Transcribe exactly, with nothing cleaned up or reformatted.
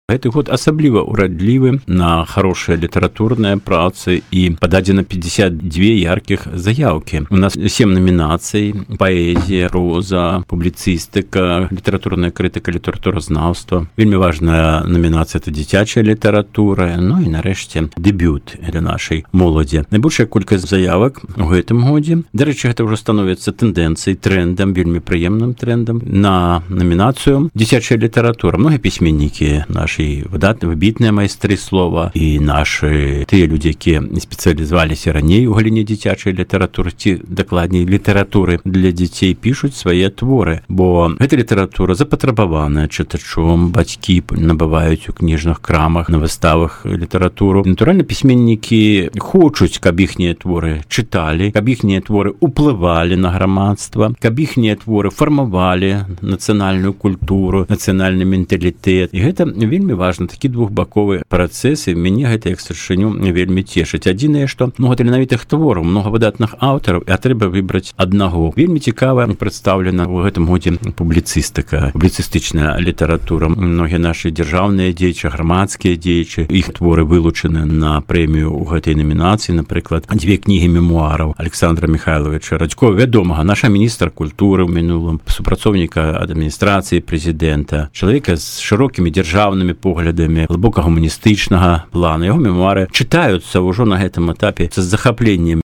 Гэты год асабліва ўрадлівы на хорошыя літаратурныя працы і пададзена пятьдесят две яркіх заяўкі. У нас сем номінацый: паэзія, проза, публіцыстыка, літаратурная крытыка, літаратуразнаўства. Вельмі важная номінацыя — это дзіцячая літаратура. Ну і нарэшце дэбют для нашай моладзі. Найбольшая колькасць заявак у гэтым годзе. Дарэчы, гэта ўжо становіцца тэндэнцыяй, трендам, вельмі прыемным трендам на номінацыю дзіцячая літаратура. Многія пісьменнікі нашы выдатныя, выбітныя майстры слова і нашы тыя людзі, якія спецыялізаваліся раней у галіне дзіцячай літаратуры, ці дакладней літаратуры для дзяцей, пішуць свае творы, бо гэта літаратура запатрабаваная чытачом, бацькі набываюць у кніжных крамах, на выставах літаратуру. Натуральна, пісьменнікі хочуць, каб іхнія творы чыталі, каб іхнія творы уплывалі на грамадства, каб іхнія творы фармавалі нацыянальную культуру, нацыянальны менталітэт. І гэта вельмі важна, такі двухбаковы працэс, і мяне гэта як старшыню вельмі цешыць. Адзінае, што многа таленавітых твораў, многа выдатных аўтараў, а трэба выбраць аднаго. Вельмі цікава прадстаўлена ў гэтым годзе публіцыстыка, публіцыстычная літаратура. Многія нашы дзяржаўныя дзеячы, грамадскія дзеячы, іх творы вылучаны на прэмію ў гэтай номінацыі. Напрыклад, дзве кнігі мемуараў Александра Михайловича Радзькова, вядомага, наша міністр культуры ў мінулым, супрацоўніка адміністрацыі прэзідэнта, чалавека з шырокімі дзяржаўнымі поглядамі, глыбока гуманістычнага плану. Яго мемуары чытаюцца ўжо на гэтым этапе з захапленнем.